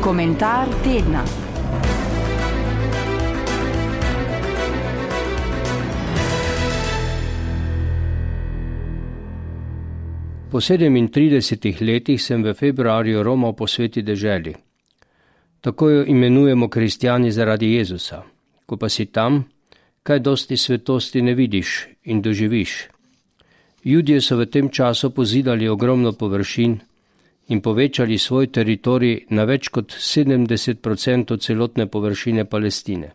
Komentar tedna. Po 37 letih sem v februarju romal po sveti deželi. Tako jo imenujemo kristjani zaradi Jezusa. Ko pa si tam, kaj dosti svetosti ne vidiš in doživiš. Judje so v tem času pozidali ogromno površin in povečali svoj teritorij na več kot 70% celotne površine Palestine.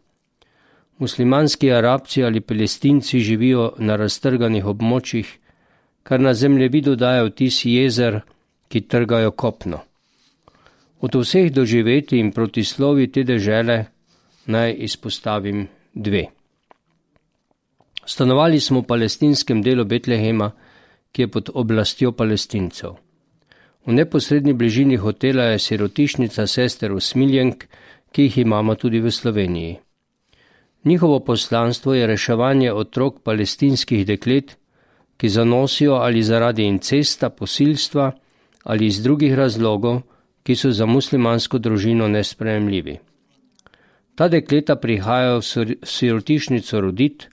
Muslimanski Arabci ali Palestinci živijo na raztrganih območjih, kar na zemljevidu daje vtis jezer, ki trgajo kopno. Od vseh doživetij in protislovij te dežele naj izpostavim dve. Stanovali smo v palestinskem delu Betlehema, ki je pod oblastjo Palestincev. V neposredni bližini hotela je sirotišnica sester usmiljenk, ki jih imamo tudi v Sloveniji. Njihovo poslanstvo je reševanje otrok palestinskih deklet, ki zanosijo ali zaradi incesta, posilstva ali iz drugih razlogov, ki so za muslimansko družino nesprejemljivi. Ta dekleta prihajajo v sirotišnico rodit,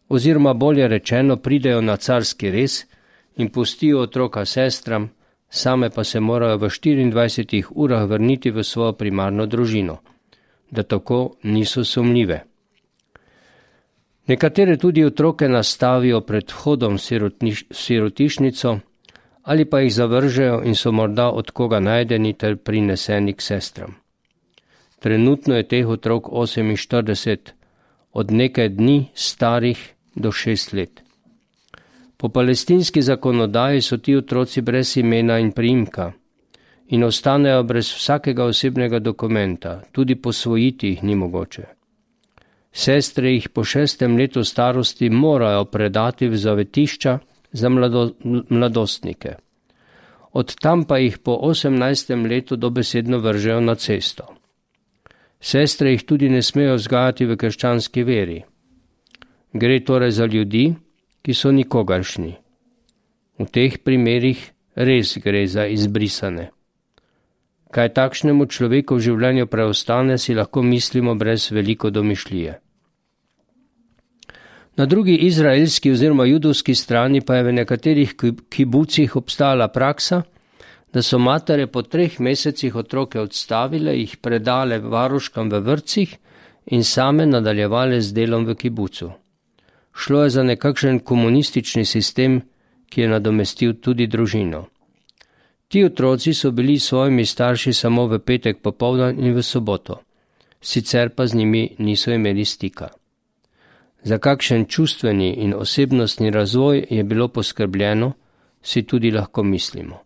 oziroma bolje rečeno pridejo na carski rez in pustijo otroka sestram, same pa se morajo v 24 urah vrniti v svojo primarno družino, da tako niso sumljive. Nekatere tudi otroke nastavijo pred vhodom v sirotišnico ali pa jih zavržejo in so morda od koga najdeni ter prineseni k sestram. Trenutno je teh otrok 48, od nekaj dni starih do 6 let. Po palestinski zakonodaji so ti otroci brez imena in priimka in ostanejo brez vsakega osebnega dokumenta, tudi posvojiti jih ni mogoče. Sestre jih po 6. letu starosti morajo predati v zavetišča za mladostnike. Od tam pa jih po 18. letu dobesedno vržejo na cesto. Sestre jih tudi ne smejo vzgajati v krščanski veri. Gre torej za ljudi, ki so nikogaršnji. V teh primerih res gre za izbrisane. Kaj takšnemu človeku v življenju preostane, si lahko mislimo brez veliko domišljije. Na drugi izraelski oziroma judovski strani pa je v nekaterih kibucih obstala praksa, da so matere po 3 mesecih otroke odstavile, jih predale varuškam v vrtcih in same nadaljevale z delom v kibucu. Šlo je za nekakšen komunistični sistem, ki je nadomestil tudi družino. Ti otroci so bili s svojimi starši samo v petek popoldan in v soboto, sicer pa z njimi niso imeli stika. Za kakšen čustveni in osebnostni razvoj je bilo poskrbljeno, si tudi lahko mislimo.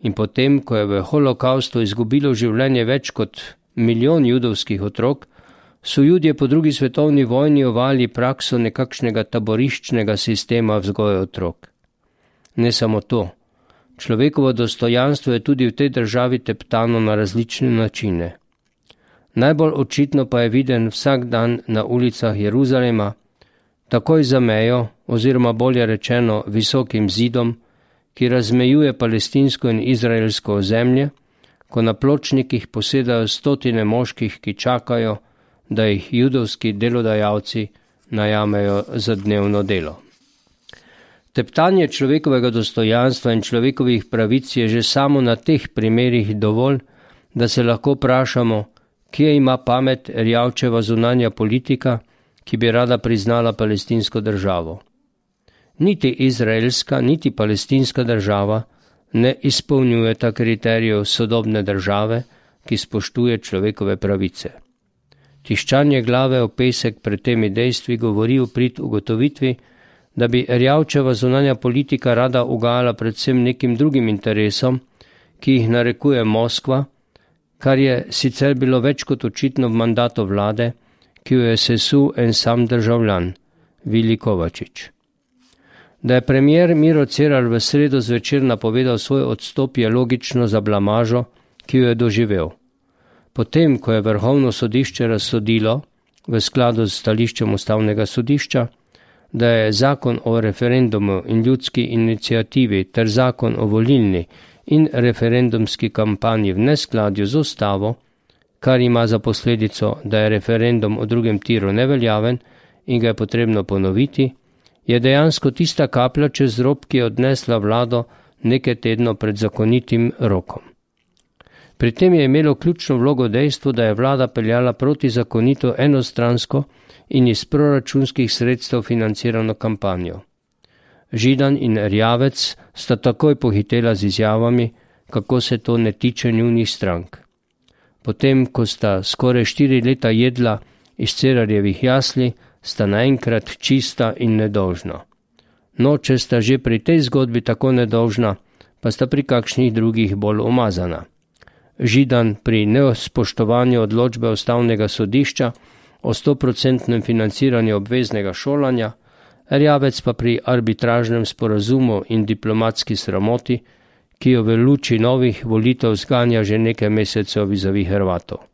In potem, ko je v holokaustu izgubilo življenje več kot 1 milijon judovskih otrok, so Judje po drugi svetovni vojni uvali prakso nekakšnega taboriščnega sistema vzgoje otrok. Ne samo to, človekovo dostojanstvo je tudi v tej državi teptano na različne načine. Najbolj očitno pa je viden vsak dan na ulicah Jeruzalema, takoj za mejo, oziroma bolje rečeno visokim zidom, ki razmejuje palestinsko in izraelsko ozemlje, ko na pločnikih posedajo 100 moških, ki čakajo, da jih judovski delodajalci najamejo za dnevno delo. Teptanje človekovega dostojanstva in človekovih pravic je že samo na teh primerih dovolj, da se lahko vprašamo, kje ima pamet Erjavčeva zunanja politika, ki bi rada priznala palestinsko državo. Niti izraelska, niti palestinska država ne izpolnjujeta kriterijev sodobne države, ki spoštuje človekove pravice. Tiščanje glave v pesek pred temi dejstvi govori v prid ugotovitvi, da bi Erjavčeva zunanja politika rada ugajala predvsem nekim drugim interesom, ki jih narekuje Moskva, kar je sicer bilo več kot očitno v mandatu vlade, ki jo je sesul en sam državljan, Vili Kovačič. Da je premier Miro Cerar v sredo zvečer napovedal svoj odstop, je logično za blamažo, ki jo je doživel. Potem, ko je Vrhovno sodišče razsodilo, v skladu s stališčem Ustavnega sodišča, da je zakon o referendumu in ljudski iniciativi ter zakon o volilni in referendumski kampanji v neskladju z ustavo, kar ima za posledico, da je referendum o drugem tiru neveljaven in ga je potrebno ponoviti, je dejansko tista kaplja čez rob, ki je odnesla vlado nekaj tednov pred zakonitim rokom. Pri tem je imelo ključno vlogo dejstvo, da je vlada peljala protizakonito enostransko in iz proračunskih sredstev financirano kampanjo. Židan in Erjavec sta takoj pohitela z izjavami, kako se to ne tiče njunih strank. Potem, ko sta skoraj 4 leta jedla iz Cerarjevih jasli, sta naenkrat čista in nedolžna. No, če sta že pri tej zgodbi tako nedolžna, pa sta pri kakšnih drugih bolj umazana. Židan pri nespoštovanju odločbe Ustavnega sodišča o 100% financiranju obveznega šolanja, Erjavec pa pri arbitražnem sporazumu in diplomatski sramoti, ki jo v luči novih volitev zganja že nekaj mesecev vizavi Hrvatov.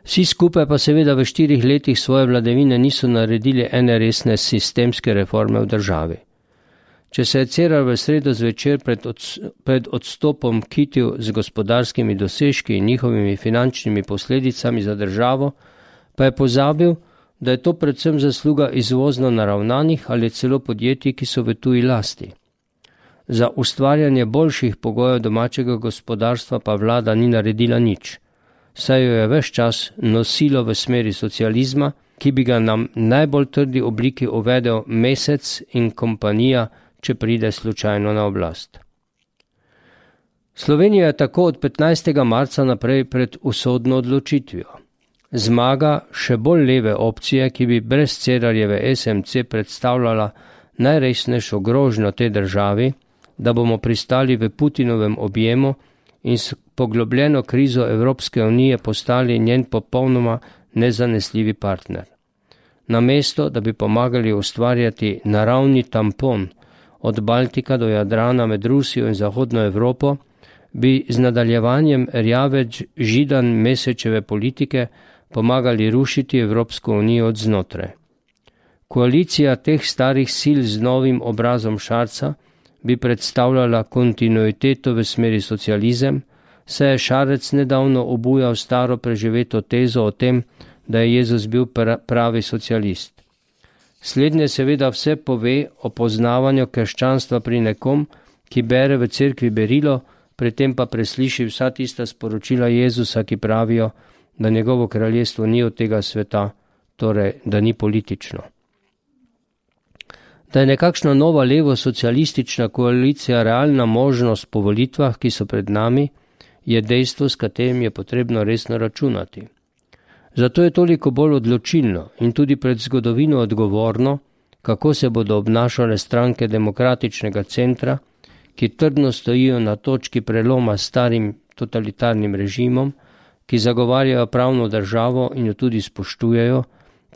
Vsi skupaj pa seveda v 4 letih svoje vladavine niso naredili ene resne sistemske reforme v državi. Če se je Cerar v sredo zvečer pred odstopom kitil z gospodarskimi dosežki in njihovimi finančnimi posledicami za državo, pa je pozabil, da je to predvsem zasluga izvozno naravnanih ali celo podjetij, ki so v tuji lasti. Za ustvarjanje boljših pogojev domačega gospodarstva pa vlada ni naredila nič, saj jo je ves čas nosilo v smeri socializma, ki bi ga nam najbolj trdi obliki uvedel Mesec in kompanija, če pride slučajno na oblast. Slovenija je tako od 15. marca naprej pred usodno odločitvijo. Zmaga še bolj leve opcije, ki bi brez Cerarjeve SMC predstavljala najresnejšo grožnjo tej državi, da bomo pristali v Putinovem objemu in s poglobljeno krizo Evropske unije postali njen popolnoma nezanesljivi partner. Namesto, da bi pomagali ustvarjati naravni tampon od Baltika do Jadrana med Rusijo in Zahodno Evropo, bi z nadaljevanjem Erjavec Židan Mesečeve politike pomagali rušiti Evropsko unijo od znotraj. Koalicija teh starih sil z novim obrazom Šarca bi predstavljala kontinuiteto v smeri socializem, saj je Šarec nedavno obujal staro preživeto tezo o tem, da je Jezus bil pravi socialist. Slednje seveda vse pove o poznavanju krščanstva pri nekom, ki bere v cerkvi berilo, pri tem pa presliši vsa tista sporočila Jezusa, ki pravijo, da njegovo kraljestvo ni od tega sveta, torej da ni politično. Da je nekakšna nova levo-socialistična koalicija realna možnost po volitvah, ki so pred nami, je dejstvo, s katerim je potrebno resno računati. Zato je toliko bolj odločilno in tudi pred zgodovino odgovorno, kako se bodo obnašale stranke demokratičnega centra, ki trdno stojijo na točki preloma s starim totalitarnim režimom, ki zagovarjajo pravno državo in jo tudi spoštujejo,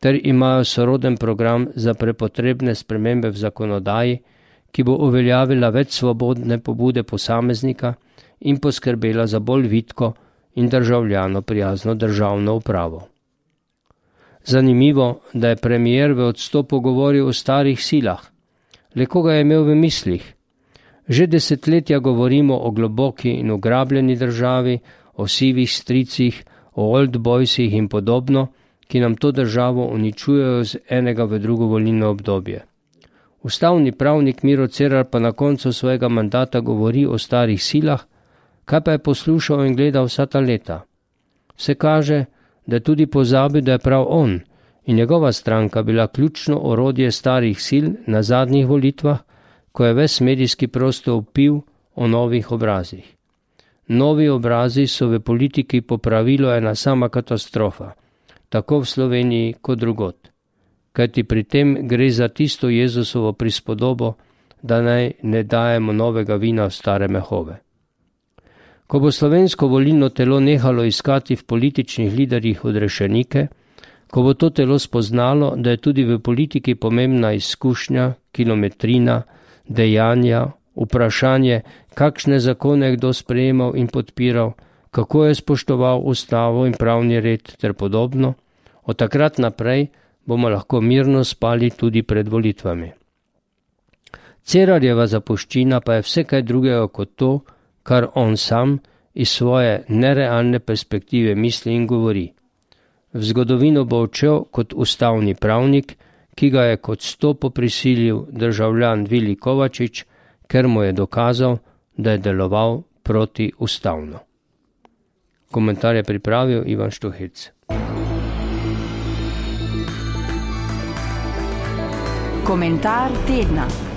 ter imajo soroden program za prepotrebne spremembe v zakonodaji, ki bo uveljavila več svobodne pobude posameznika in poskrbela za bolj vitko in državljano prijazno državno upravo. Zanimivo, da je premier v odstopu govoril o starih silah. Le koga je imel v mislih? Že desetletja govorimo o globoki in ugrabljeni državi, o sivih stricih, o old boysih in podobno, ki nam to državo uničujejo z enega v drugo volilno obdobje. Ustavni pravnik Miro Cerar pa na koncu svojega mandata govori o starih silah, kaj pa je poslušal in gledal vsa ta leta. Vse kaže, da je tudi pozabil, da je prav on in njegova stranka bila ključno orodje starih sil na zadnjih volitvah, ko je ves medijski prostor vpil o novih obrazih. Novi obrazi so v politiki po pravilu ena sama katastrofa, tako v Sloveniji kot drugod. Kajti pri tem gre za tisto Jezusovo prispodobo, da naj ne dajemo novega vina v stare mehove. Ko bo slovensko volilno telo nehalo iskati v političnih liderjih odrešenike, ko bo to telo spoznalo, da je tudi v politiki pomembna izkušnja, kilometrina, dejanja, vprašanje, kakšne zakone je kdo sprejemal in podpiral, kako je spoštoval ustavo in pravni red ter podobno, od takrat naprej bomo lahko mirno spali tudi pred volitvami. Cerarjeva zapuščina pa je vse kaj drugega kot to, kar on sam iz svoje nerealne perspektive misli in govori. V zgodovino bo odšel kot ustavni pravnik, ki ga je kot stopo prisilil državljan Vili Kovačič, ker mu je dokazal, da je deloval protiustavno. Komentar je pripravil Ivan Štuhec. Komentar tedna.